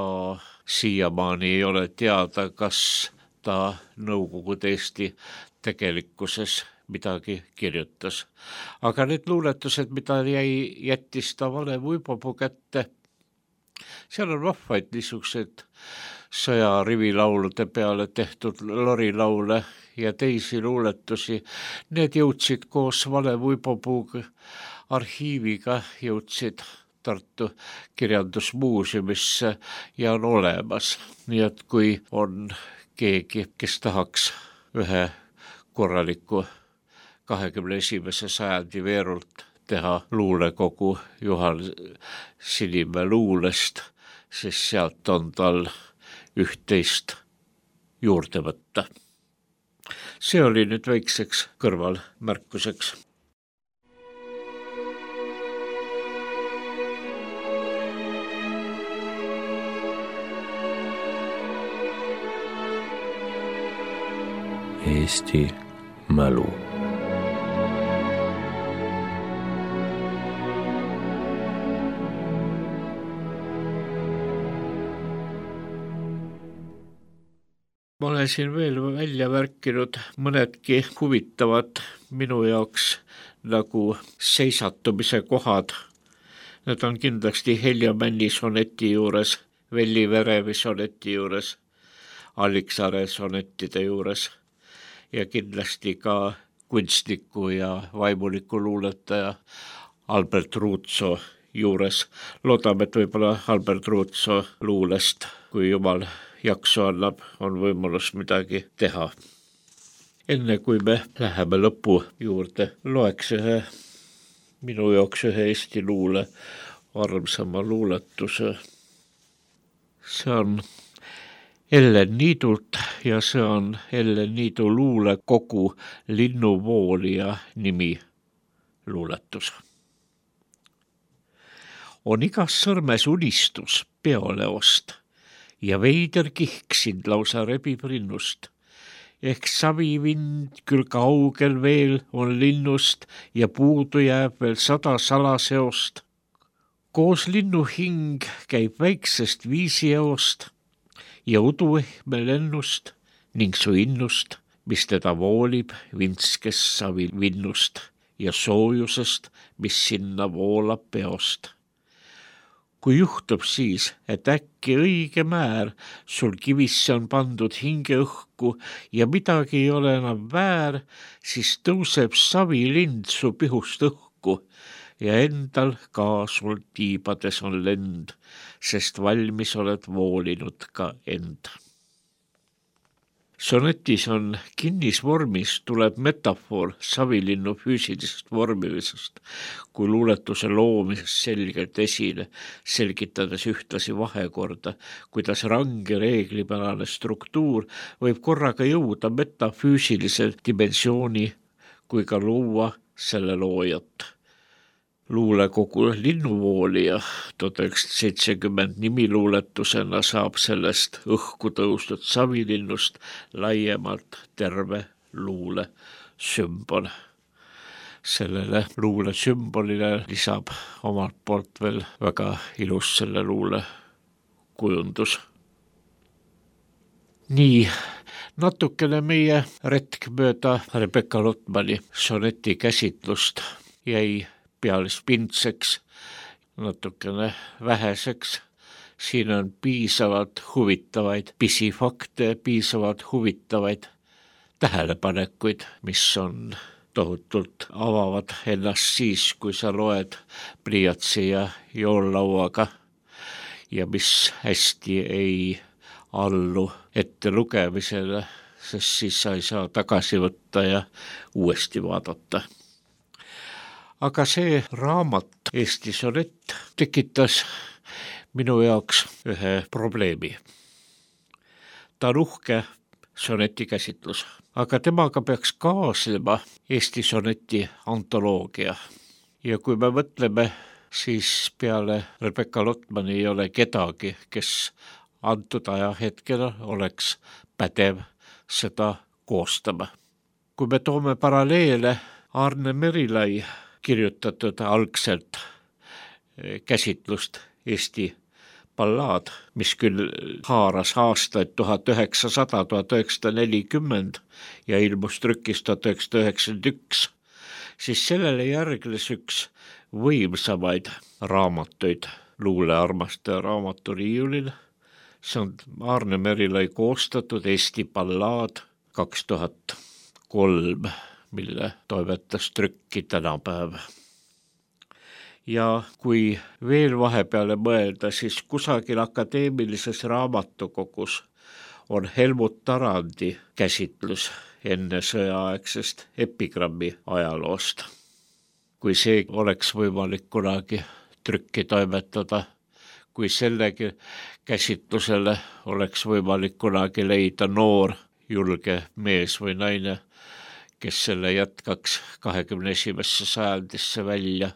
siiamaani ei ole teada, kas ta Nõukogude Eesti tegelikkuses midagi kirjutas. Aga need luuletused, mida jättis ta Valev Uipopuu kätte, seal on vahvaid niisugused sõjarivilaulude peale tehtud lorilaule ja teisi luuletusi. Need jõudsid koos Valev Uipopuuga arhiiviga jõudsid Tartu kirjandusmuuseumisse ja on olemas. Nii et kui on keegi, kes tahaks ühe korraliku 21. sajandi veerult teha luulekogu Juhan Sinimäe luulest, siis sealt on tal üht-teist juurde võtta. See oli nüüd väikseks kõrvalmärkuseks. Eesti mälu. Ma olen siin veel välja märkinud mõnedki huvitavad minu jaoks nagu seisatumise kohad. Need on kindlasti Helja Männi soneti juures, Velli Verevi soneti juures, Alliksaare sonettide juures ja kindlasti ka kunstniku ja vaimuliku luuletaja Albert Ruutso juures. Loodame, et võib-olla Albert Ruutso luulest, kui jumal jaksu annab, on võimalus midagi teha. Enne kui me läheme lõpu juurde, loeks minu jaoks ühe Eesti luule armsama luuletuse. See on Ellen Niidult ja see on Ellen Niidu luulekogu Linnuvoolija nimi luuletus. On igas sõrmes unistus peoleost ja veider kihk sind lausa rebib rinnust. Ehk savivind küll kaugel veel on linnust ja puudu jääb veel 100 salaseost. Koos linnu hing käib väiksest viisieost ja uduehme lennust ning su innust, mis teda voolib vintskes savivinnust ja soojusest, mis sinna voolab peost. Kui juhtub siis, et äkki õige määr sul kivisse on pandud hingeõhku ja midagi ei ole enam väär, siis tõuseb savilind su pihust õhku ja endal ka sul tiibades on lend, sest valmis oled voolinud ka end. Sonetis on kinnisvormis tuleb metafoor savilinnu füüsilisest vormilisest kui luuletuse loomisest selgelt esile, selgitades ühtlasi vahekorda, kuidas range reeglipärane struktuur võib korraga jõuda metafüüsilise dimensiooni kui ka luua selle loojat. Luulekogu Linnuvoolija 1970 nimiluuletusena saab sellest õhku tõusnud savilinnust laiemalt terve luule sümbol. Sellele luule sümbolile lisab omalt poolt veel väga ilus selle luule kujundus. Nii, natukene meie retk mööda Rebecca Lotmani soneti käsitlust jäi pealispindseks, natukene väheseks. Siin on piisavalt huvitavaid pisifakte, piisavalt huvitavaid tähelepanekuid, mis on tohutult avavad ennast siis, kui sa loed pliiatsi ja joollauaga ja mis hästi ei allu ette lugemisele, sest siis sa ei saa tagasi võtta ja uuesti vaadata. Aga see raamat Eesti sonett tekitas minu jaoks ühe probleemi. Ta on uhke soneti käsitlus, aga temaga peaks kaasnema Eesti soneti antoloogia. Ja kui me mõtleme, siis peale Rebecca Lotmani ei ole kedagi, kes antud ajahetkel oleks pädev seda koostama. Kui me toome paralleele Arne Merilai kirjutatud algselt käsitlust Eesti ballaad, mis küll haaras aastaid 1900–1940 ja ilmus trükis 1991, siis sellele järgnes üks võimsamaid raamatuid luulearmastaja raamaturiiulil. See on Arne Merilai koostatud Eesti ballaad 2003, mille toimetas trükki tänapäev. Ja kui veel vahepeale mõelda, siis kusagil akadeemilises raamatukogus on Helmut Tarandi käsitlus enne sõjaaegsest epigrammi ajaloost. Kui see oleks võimalik kunagi trükki toimetada, kui sellegi käsitlusele oleks võimalik kunagi leida noor, julge mees või naine, kes selle jätkaks 21. sajandisse välja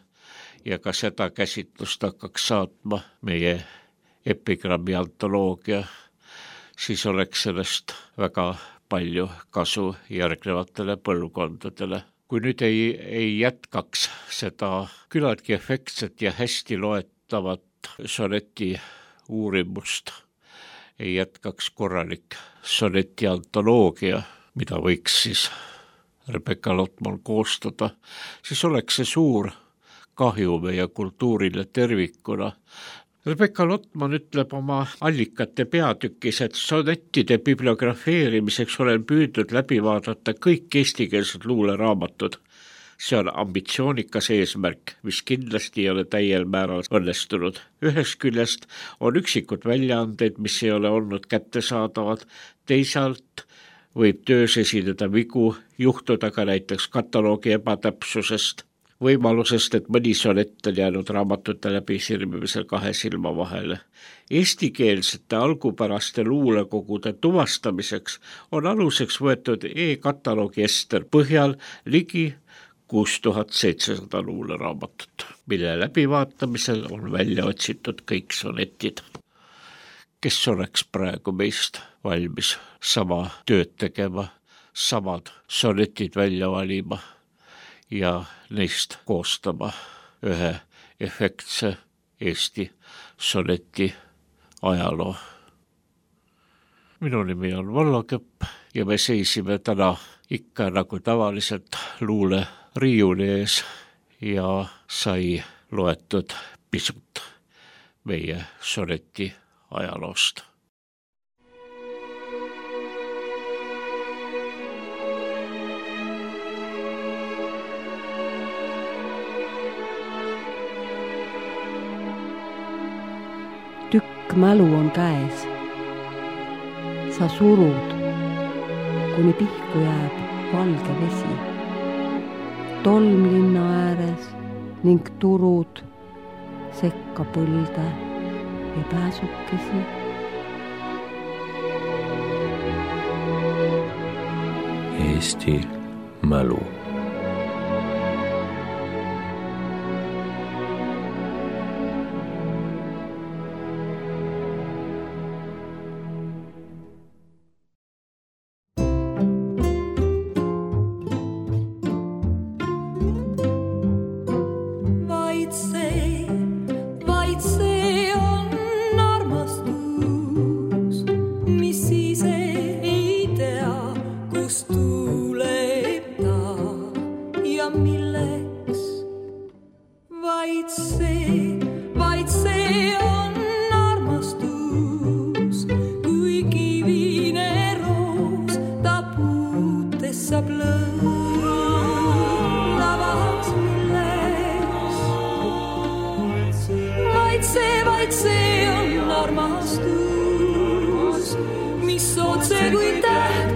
ja ka seda käsitlust hakkaks saatma meie epigrammi antoloogia, siis oleks sellest väga palju kasu järgnevatele põlvkondadele. Kui nüüd ei jätkaks seda küllaltki efektset ja hästi loetavat soneti uurimust, ei jätkaks korralik soneti antoloogia, mida võiks siis Rebecca Lotman koostada, siis oleks see suur kahju meie kultuurile tervikuna. Rebecca Lotman ütleb oma allikate peatükis, et sonettide bibliografeerimiseks olen püüdnud läbi vaadata kõik eestikeelsed luuleraamatud, See on ambitsioonikas eesmärk, mis kindlasti ei ole täiel määral õnnestunud. Ühest küljest on üksikud väljaandeid, mis ei ole olnud kättesaadavad, teisalt võib töös esineda vigu, juhtuda ka näiteks kataloogi ebatäpsusest, võimalusest, et mõni sonett on jäänud raamatute läbi sirmimisel 2 silma vahele. Eestikeelsete algupäraste luulekogude tuvastamiseks on aluseks võetud e-kataloogi Ester põhjal ligi 6700 luuleraamatut, mille läbivaatamisel on välja otsitud kõik sonetid. Kes oleks praegu meist valmis sama tööd tegema, samad sonetid välja valima ja neist koostama ühe efektse Eesti soneti ajaloo. Minu nimi on Vallo Kepp ja me seisime täna ikka nagu tavaliselt luule riiuli ees ja sai loetud pisut meie soneti ajaloost. Tükk mälu on käes. Sa surud, kuni pihku jääb valge vesi. Tolm linna ääres ning turud sekka põlde ja pääsukesi. Eesti mälu. Vaid see on armastus, kui kivine roos ta puutes saab lõõnavaks milleks. Vaid see on armastus, mis otse kui täht